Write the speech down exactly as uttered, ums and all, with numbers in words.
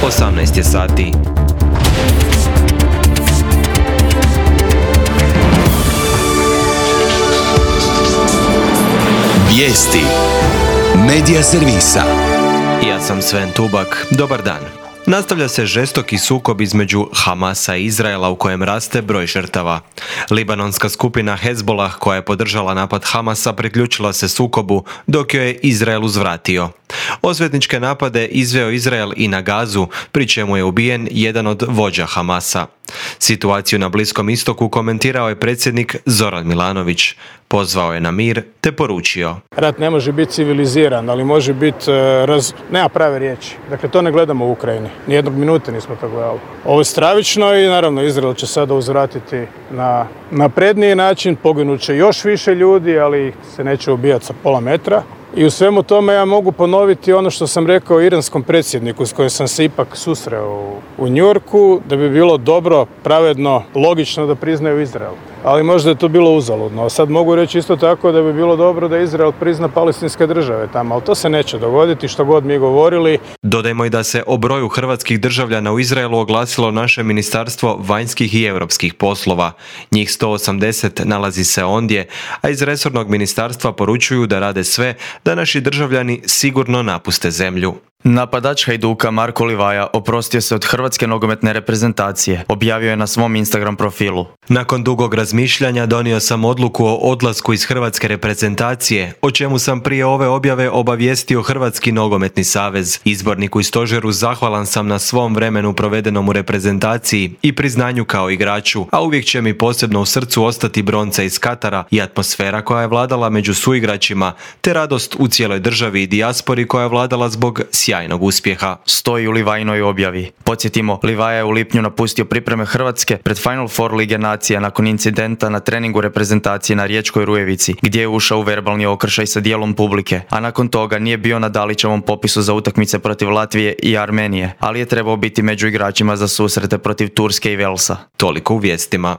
osamnaest je sati. Vijesti Medija servisa. Ja sam Sven Tubak. Dobar dan. Nastavlja se žestoki sukob između Hamasa i Izraela u kojem raste broj žrtava. Libanonska skupina Hezbollah, koja je podržala napad Hamasa, priključila se sukobu dok joj je Izrael uzvratio. Osvetničke napade izveo Izrael i na Gazu, pri čemu je ubijen jedan od vođa Hamasa. Situaciju na Bliskom istoku komentirao je predsjednik Zoran Milanović. Pozvao je na mir te poručio: rat ne može biti civiliziran, ali može biti raz... nema prave riječi. Dakle, to ne gledamo u Ukrajini. Nijednog minute nismo to gledali. Ovo je stravično i naravno Izrael će sada uzvratiti na napredniji način. Poginut će još više ljudi, ali se neće ubijati sa pola metra. I u svemu tome ja mogu ponoviti ono što sam rekao iranskom predsjedniku s kojim sam se ipak susreo u New Yorku, da bi bilo dobro, pravedno, logično da priznaju Izrael. Ali možda je to bilo uzaludno. A sad mogu reći isto tako da bi bilo dobro da Izrael prizna palestinske države tamo, ali to se neće dogoditi što god mi govorili. Dodajmo i da se o broju hrvatskih državljana u Izraelu oglasilo naše Ministarstvo vanjskih i europskih poslova. Njih sto osamdeset nalazi se ondje, a iz resornog ministarstva poručuju da rade sve da naši državljani sigurno napuste zemlju. Napadač Hajduka Marko Livaja oprostio se od hrvatske nogometne reprezentacije, objavio je na svom Instagram profilu. Nakon dugog razmišljanja donio sam odluku o odlasku iz hrvatske reprezentacije, o čemu sam prije ove objave obavijestio Hrvatski nogometni savez. Izborniku i stožeru zahvalan sam na svom vremenu provedenom u reprezentaciji i priznanju kao igraču, a uvijek će mi posebno u srcu ostati bronca iz Katara i atmosfera koja je vladala među suigračima, te radost u cijeloj državi i dijaspori koja je vladala zbog sjajnog uspjeha. Stoji u Livajinoj objavi. Podsjetimo, Livaja je u lipnju napustio pripreme Hrvatske pred Final Four Lige nacija nakon incidenta na treningu reprezentacije na Riječkoj Rujevici, gdje je ušao u verbalni okršaj sa dijelom publike, a nakon toga nije bio na Dalićevom popisu za utakmice protiv Latvije i Armenije, ali je trebao biti među igračima za susrete protiv Turske i Velsa. Toliko u vijestima.